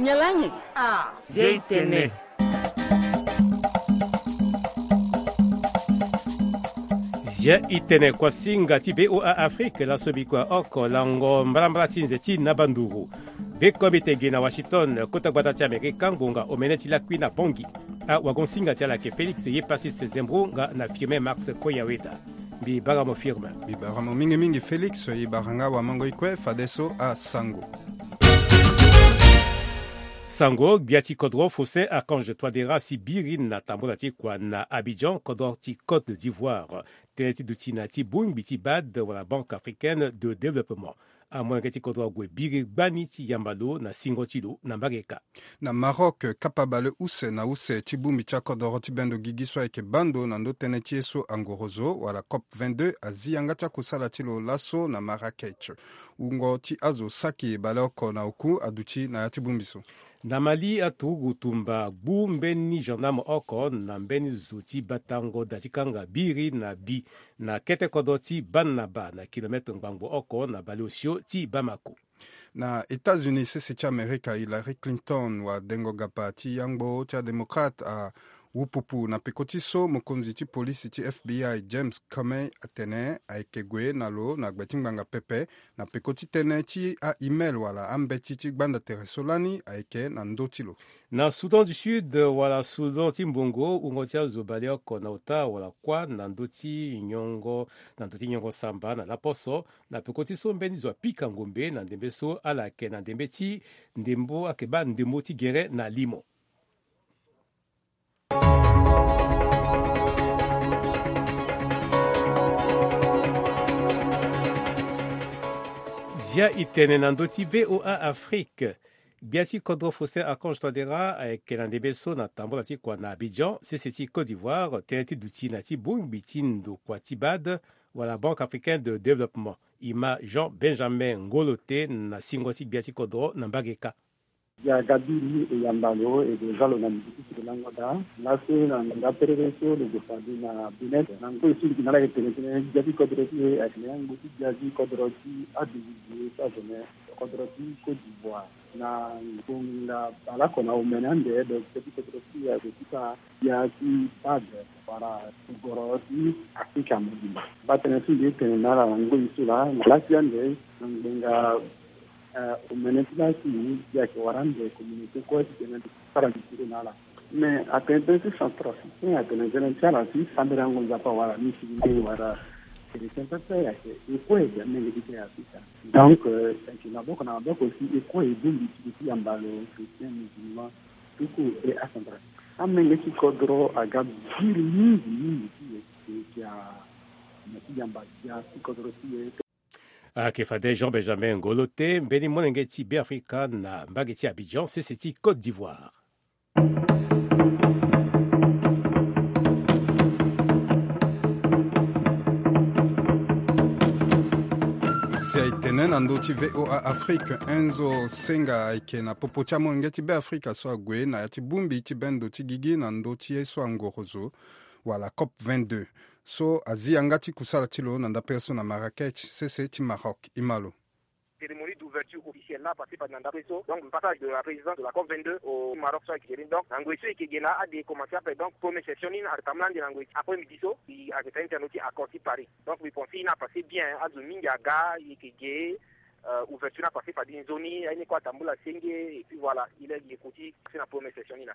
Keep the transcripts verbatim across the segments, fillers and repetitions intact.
Nyalange. Ah, Zia Itene. Zia Itene, kuasinga ti V O A Afrique, laso mbi kua oko lango mbalambala ti nze ti naba nduru. Beko mbi tege na Washington, kota gbata ti Amerika, ngonga omene ti lakui na Bangui. Awagonsinga ti ala ayeke Félix Yepassis Zembro nga na Firmin Max Koyaweda. Mbi bara mo Firmin. Mbi bara mo mingi mingi Félix, e bara nga wamango ti kue fadeso asango. Sango, gbia ti kodro Faustin Archange Touadéra asi biri na tambula ti kua na Abidjan, kodro ti Côte d'Ivoire. Tënë ti duti na ya ti bongbi ti bad wala Banque Africaine de Développement. Amolenge ti kodro ague biri gbani ti yamba lo na singo ti lo na mbage kâ. Na Maroc, kapa bale use na use ti bongbi ti akodoro ti bendo gigi so ayeke bando na ndö tënë ti ye so angorozo wala COP vingt-deux azi yanga ti akusala ti lo laso na Marrakech. Wungo ti azo saki baleoko na oku aduti na ya ti bongbi so. Na Mali, aturugu tumba gbu mbeni gendarme oko na mbeni zo ti batango da ti kanga biri na bi na kete kodro ti Banaba na kilomètre ngbangbo oko na baleosio ti Bamako. Na États-Unis, sese ti Amerika Hillary Clinton wadengo gapa ti yangbo ti adémocrate awu pupu na peko ti so mokonzi ti polisi ti F B I James Comey atene ayeke gue na lo na gbe ti ngbanga pepe na peko ti tënë ti a-email wala ambeti ti gbanda tere so lani ayeke na ndö ti lo. Na Soudan du Sud wala Soudan ti mbongo, wungo ti azo baleoko na ota wala kuâ na ndö ti nyongo, na ndö ti nyongo samba na laposo, na peko ti so mbeni zo apika ngombe na ndembe so ala yeke na ndembe ti ndembo, ayeke baa ndembo ti gere na limo. Zia Itene na ndö ti V O A Afrique. Gbia ti kodro Faustin Archange Touadéra ayeke na ndembe so na tambula ti kua na Abidjan, sese ti Côte d'Ivoire, tënë ti duti na ya ti bongbi ti ndokua ti bad wala Banque Africaine de Développement. E ma Jean Benjamin Ngolote na singo ti gbia ti kodro na mbage kâ. Dia Gabi ni e yamba lo e gue za lo na mbi ti si lo lango daa. Laso na nda perere so lo gue fade na Benin na ngoi so lo yeke na ala yeke tene tënë gbia ti kodro ti e ayeke na ya ngoi ti gbia ti kodro ti adugu gue ti azone kodro ti Côte d'Ivoire. Na ngonga baleoko na omene ande, donc gbia ti kodro ti e ague ti fa gbia ti bad wala goro ti Afrika mobimba. Baa tënë so mbi ye tene na ala na ngoi so laa na lasi ande na ngbonga Eh, omene ti la si mbi ayeke wara ande communauté kue ti tene ti sara gi tiro na ala. Mais atene tënë ti centrafricain, atene tënë ti ala si sambela yango Nzapa wala musulman wala chrétien pepe, ayeke e kue e gi amenge ti terre Afrika. Donc eh, ayeke maboko na maboko si e kue e bongbi ti lo ti yamba lo chrétien, musulman, tuku e acentrafricain. Amenge ti kodro aga biri mingi mingi ti e, e, e, e, na ti yamba gbia ti kodro ti e. Ayeke fade Jean Benjamin Ngolote, mbeni molenge ti Beafrika na mbage ti Abidjan, sese ti Côte d'Ivoire. Si aye tene na ndö ti V O A Afrique, Enzo Senga ayeke na popo ti amolenge ti Beafrika so ague na ya ti bongbi ti bendo ti gigi na ndö ti ye so angorozo wala COP vingt-deux. So azi yanga ti kusala ti lo na ndapere so na Marrakech, sese ti Maroc. E ma lo. Cérémonie d'ouverture officielle la passé par na ndapere so, donc le passage de la présidence de la COP vingt-deux au Maroc so ayeke gere. Donc na ngoi so e yeke ge na ade e commencé ape, donc première session ni na atambula ande na ngoi après midi so, e ayeke tene ti accord ti Paris. Donc mbi pensé ni a passé bien, azo mingi aga, e yeke ge. Euh, ouverture ni a passé fade nzoni, aye ni kue atambula senge, et puis voilà, il est, il est kuti na première session ni na.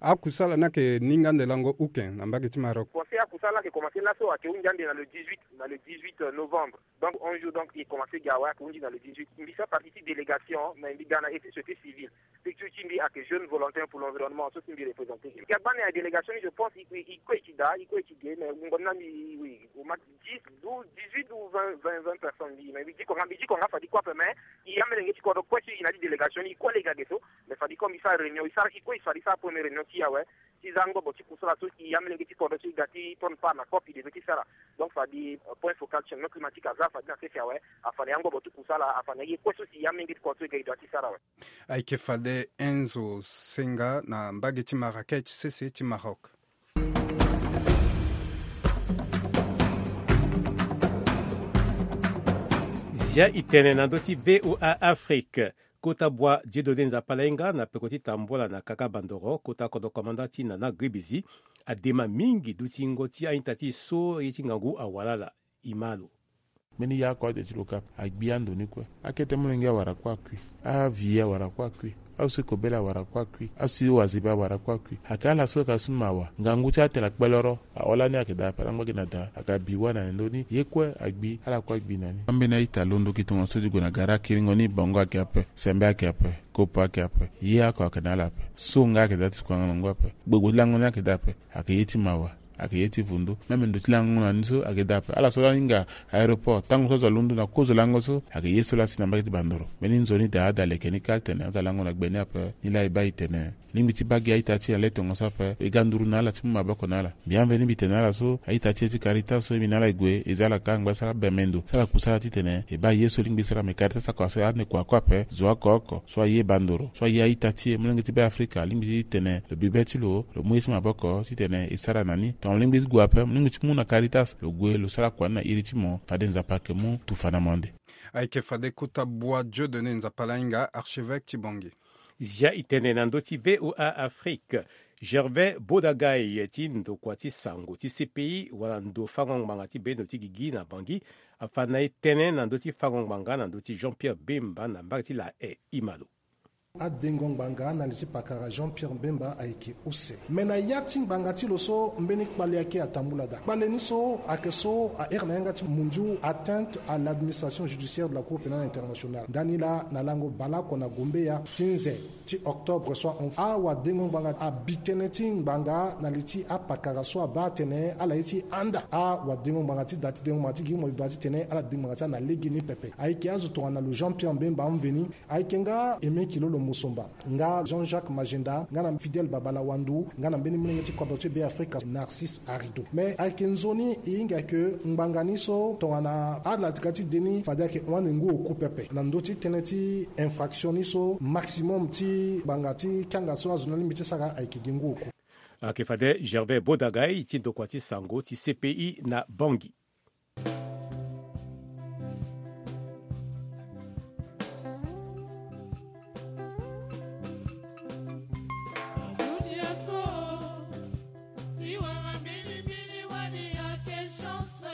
Akusala ni ayeke ninga ande lango uke na mbage ti Maroc? Conseil akusala ni ayeke commencé laso, ayeke hunzi ande na le dix-huit, na le dix-huit novembre. Donc onze jours, donc e commencé ga awe, ayeke hunzi na le dix-huit. Mbi sara partie ti délégation, mais mbi ga na ye ti société civile. Structure ti mbi ayeke Jeunes Volontaires pour l'Environnement, so si mbi représenté. Mbi aga gbani na délégation ni, je pense, e, e, e kue e ti da, e kue e ti ge, mais wungo ni na mbi, oui, au max dix, douze, dix-huit ou vingt, vingt, vingt personnes mbi, mais mbi diko nga, mbi diko nga fade e kue ape, mais e amolenge ti kodro kue so e na ya ti délégation ni, e kue lege age so, mais fade e kue mbi sara réunion, e sara, e kue e fade e sara première réunion ti e awe, ti za ngbobo ti kusala so e amolenge ti kodro so e ga ti prendre part na COP e devait ti sara. Donc fade, euh, point focal changement climatique aza fade na sese awe, afade ya ngbobo ti kusala, afade na ye kue so si e amolenge ti kodro so e ga e doit ti sara awe. Ayeke fade Enzo Senga na mbage ti Marrakech, sese ti Maroc. Zia e tene na ndö ti V O A Afrique. Kota bua Dieudonné Nzapalainga na peko ti tambula na kaka bandoro, kota kodro komanda ti Nana Gribizi, adema mingi dutingo ti a-ita ti e so ye ti ngangu awalala. E ma lo. Mbeni ya oko ade ti lo kâ ape, agbi ando ni kue. Akete molenge awara kue akui. Aviye awara kue akui. Aosi kobela awara kue akui. Aosi wazebe awara kue akui. Ayeke ala so ayeke asu mawa. Ngangu ti atene akpeloro. Aho lani ayeke daa ape, ala ngba gi na daa, ayeke abi wâ na ndo ni, ye kue agbi, ala kue agbi na ni. Ambeni a-ita alondo gi tongaso ti gue na gara kiringo ni, bango ayeke ape, sembe ayeke ape, kopo ayeke ape, ye oko ayeke na ala ape. So nga ayeke daa ti kua na ngangu ape. Gbogbo ti lango ni ayeke daa ape. Ayeke ye ti mawa, ayeke ye ti vundu. Même ndo ti lango na ni so ayeke daa ape. Ala so la hinga aéroport, tango so azo alondo na kozo lango so, ayeke ye so la asi na mbage ti bandoro. Mbeni nzoni daa ada leke ni kâ titene azo alango na gbe ni ape. Ni la e baa e tene lingbi ti baa gi a-ita ti e na le tongaso ape, e ga nduru na ala ti mu maboko na ala. Mbi ambe ni mbi tene na ala so a-ita ti e ti Caritas so e mbi na ala e gue, e za ala kâ angba e sara bembe ndo, sara kusala titene e baa ye so lingbi e sara. Me Caritas akua so ande kua kue ape, zo oko oko so aye bandoro, so aye a-ita ti e, molenge ti Be Afrika, alingbi ti tene lo bi be ti lo, lo mu ye ti maboko titene e sara na ni. Tongana mo lingbi ti gue ape, mo lingbi ti mu na Caritas, lo gue lo sara kua ni na iri ti mo, fade Nzapa ayeke mu tufa na mo ande. Ayeke fade kota bua Dieudonné Nzapalainga, archevêque ti Bangui. Zia e tene na ndö ti V O A Afrique. Gervais Bodagai ti ndokua ti sango ti C P I wala ndo fango ngbanga ti bendo ti gigi na Bangui afa na e tënë na ndö ti fango ngbanga na ndö ti Jean-Pierre Bemba na mbage ti La Haye. E ma lo. Adengo ngbanga na li ti pakara Jean-Pierre Bemba ayeke use. Me na ya ti ngbanga ti lo so mbeni kpale ayeke atambula daa. Kpale ni so ayeke so ahere na yanga ti mundiu atteinte à l'administration judiciaire de la Cour pénale internationale. Ndani laa na lango baleoko na gombeya ti nze ti octobre so ahon, awadengo ngbanga abi tënë ti ngbanga na li ti apakara so abaa atene ala ye ti handa awadengo ngbanga ti da ti dengo ngbanga ti gi mo e baa titene ala dengo ngbanga ti ala na legeni pepe. Ayeke azo tongana lo Jean-Pierre Bemba amveni. Ayeke nga Aimé Kilolo Musumba, nga Jean-Jacques Magenda, nga na Fidèle Babalawandu, nga na mbeni molenge ti kodro ti Be Afrika Narcisse Arido. Me ayeke nzoni e hinga ke ngbanga ni so tongana ala ti ga ti de ni fade ayeke hon ande ngu oku pepe. Na ndö ti tënë ti infraction ni so maximum ti ngbanga ti kianga so azo ni alingbi ti sara ayeke gi ngu oku. Ayeke fade Gervais Bodagai ti ndokua ti sango ti C P I na Bangui. Dunia so, ti wara mbilimbili wani ayeke chance.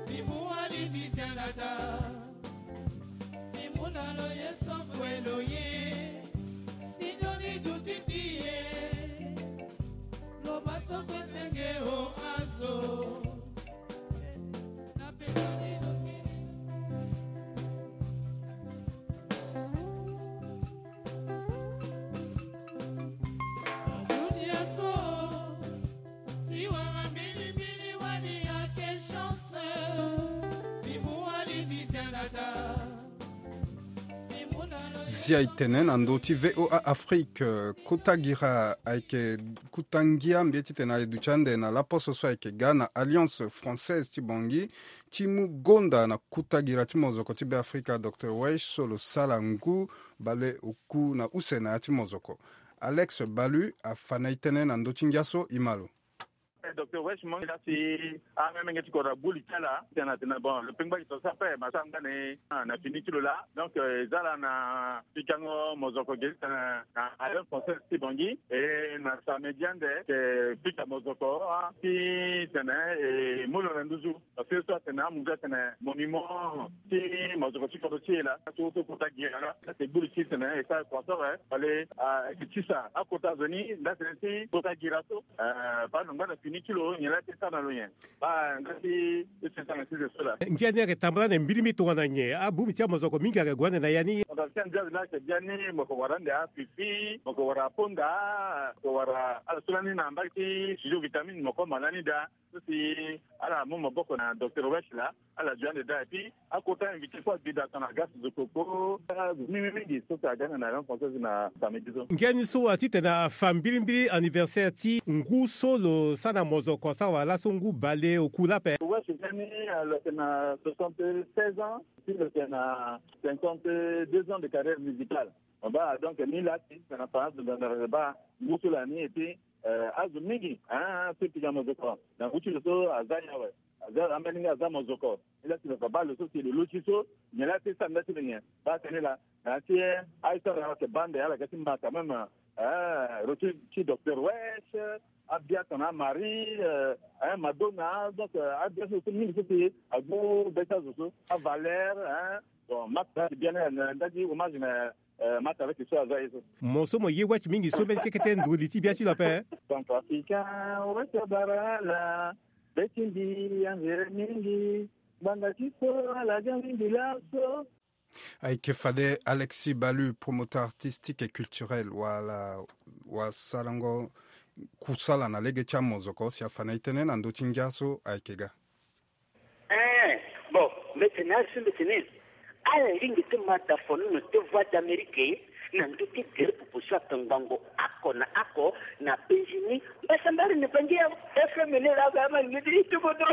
Mbi mu wani mbi zia na daa. Mbi mu na lo ye so kue lo ye. Mbi ndoni duti ti e. Lo baa so kue senge o azo. Zia e tene na ndö ti V O A Afrique, kota gira ayeke kota ngia mbi ye titene aye duti ande na laposo so ayeke ga na Alliance Française ti Bangui ti mu gonda na kota gira ti mozoko ti Be Afrika, Docteur Wesh, so lo sala ngu bale oku na use na ya ti mozoko. Alex Balu afa na e tënë na ndö ti ngia so, e ma lo. Docteur Wesh, mo laa si amenge ti kodro agbu li ti ala titene atene bon, lo pengba gi to so ape, ma so angba na e na fini ti lo laa. Donc, eh, e za ala na pikango mozoko ge titene na Alliance Française ti Bangui. E na samedi ande, e pika mozoko, ah, titene e mu lo na nduzu. Parce que so atene amu ga atene monument ti mozoko ti kodro ti e laa, so so kota gira laa, ate gbu li ti tene e sara kua so awe, fallait, ah, e tisa akota zo ni nda tene ti kota gira so. Eh, baa lo ngba na fini ti lo nyen laa ti sara na lo nyen? Baa nga ti e sara na ti zo so laa. Ngia ni ayeke tambula ande mbilimbili tongana nyen? Abongbi ti amozoko mingi ayeke gue ande na ya ni. Tongana ti andia zo laa ayeke biani, mo yeke wara ande afifi, mo yeke wara aponda, mo yeke wara ala so lani na mbage ti studio vitamine, mo yeke ma lani daa. So si ala mu maboko na Docteur Wesh laa, ala zo ande daa. Et puis akota invité kue agbi daa tongana Gas Zokoko, azo mingi mingi so si aga na Alliance Française na samedi so. Ngia ni so atitene afa mbilimbili anniversaire ti ngu so lo sara na mozoko asara wala laso ngu bale oku laa ape. Wesh ngia ni, ah, lo yeke na soixante-seize ans, si lo yeke na cinquante-deux ans de carrière musicale. Mo baa, donc ni laa ti tene afa azo nzanzara lo baa ngu so laa ni, et puis eh, azo mingi, ah, so e pika mozoko na ngu ti lo so aza ni awe. Aza, ambeni nga aza mozoko. Ni laa ti lo fa baa lo so si lo loti so, nyen laa ti sara nda ti lo nyen? Baa tënë laa, Na ti aye so ala yeke baa ande ala ga ti ma quand même. Eh, retour ti docteur Wesh, abia tongana Marie, eh, eh, Madonna, donc, eh, abia so so mingi so si agu be ti azo so, avaleur, eh. Bon, Martha ti bien na ndali hommage na, eh, Martha avec so aza ye so. Mo so mo ye Wesh mingi so mbeni kekete nduru li ti bia ti lo ape. Centrafricain, Wesh abara ala, be ti mbi anzere mingi, ngbanga ti so ala ga mingi laso. Ayeke fade Alexis Balu, promoteur artistique et culturel, wala wasalango kusala na lege ti amozoko si afa na e tënë na ndö ti ngia so ayeke ga. Eh, bon, mbeti na asu mbeti ni. Ala lingbi ti ma da fonono ti Voix d'Amérique na ndö ti gere popo so ayeke ngbongo oko na oko na Benjini. Mbasambari ni bangi ya F M ni la ga ma ni ti kodro.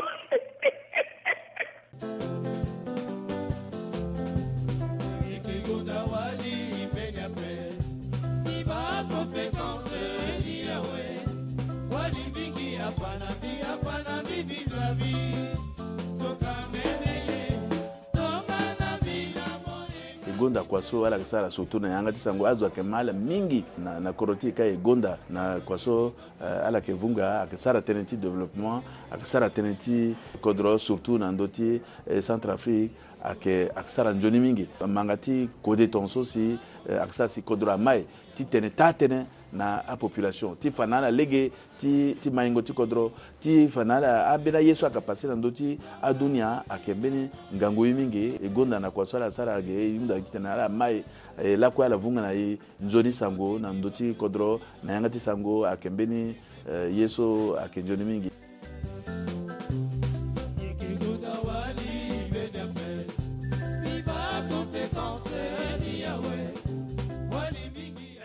E gonda kua so ala yeke sara surtout na yanga ti sango, azo ayeke ma ala mingi na, na kodro ti e ka e gonda na kua so. Eh, ala yeke vunga, ayeke sara tënë ti développement, ayeke sara tënë ti kodro, surtout na ndö ti, eh, Centrafrique, ayeke, ayeke sara nzoni mingi. Manga ti kode tongaso si, eh, ayeke sara si kodro amai ti tene taa-tënë na apopulation, ti fa na ala lege ti, ti maingo ti kodro, ti fa na ala ambeni aye so ayeke pase na ndö ti adunia ayeke mbeni ngangu ye mingi. E gonda na kua so ala sara ge, e hunda gi titene ala mai, eh, lakue ala vunga na e nzoni sango na ndö ti kodro, na yanga ti sango ayeke mbeni, eh, ye so ayeke nzoni mingi.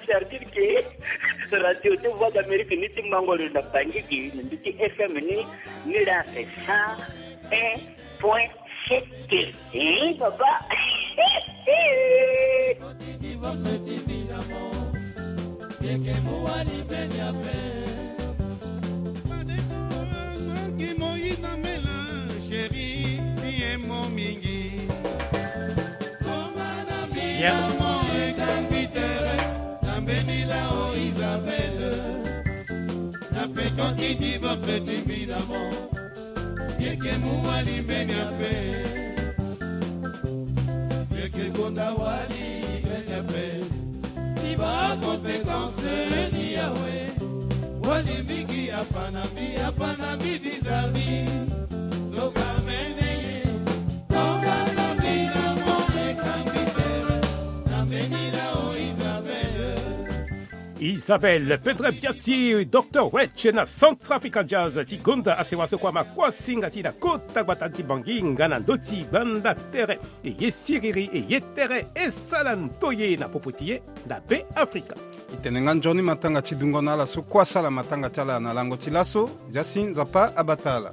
C'est-à-dire que radio ti Voix d'Amérique ni ti mango lo na Bangui gi na ndö ti F M ni, ni la cent un point sept. Hein, papa? Siamo e campi tere, na mbeni la o Isabelle. Na peko ki divorce ti mbina mo. Yeke mu wali mbeni ape. Yeke gonda wali mbeni ape. Ti ba conséquence ni yawe. Wali mingi afa na mbi, afa na mbi vis-à-vis. Soka mene ye. Tonga na mbi na mo e kambi tere. Na mbeni la o Isabelle. Isabelle Pedre Piatti, Docteur Wetch na Centrafrica Jazz ti gonda asewa so kua ma kua singa ti na kota gbata ti Bangui nga na ndö ti gbanda tere. E ye siriri, e ye tere, e sala ndoye na popo ti ye na Be Afrika. E tene nga nzoni matanga ti dungo na ala so kua sala matanga ti ala na lango ti laso, zia si Nzapa abata ala.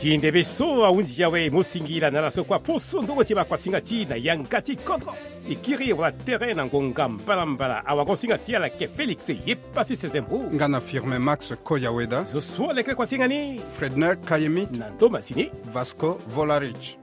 Ti ndembe so ahunzi awe, mo singila na ala so kua poso ndongo ti makuasinga ti na yanga ti kodro. E kiri wala tere na ngonga mbalambala, awagosinga ti ala ke Félix Yepasi Sezembo. Nga na Firmin Max Koyaweda. Zo so aleke kuasinga ni. Fredner Kayemit. Na ndo masini. Vasco Volarich.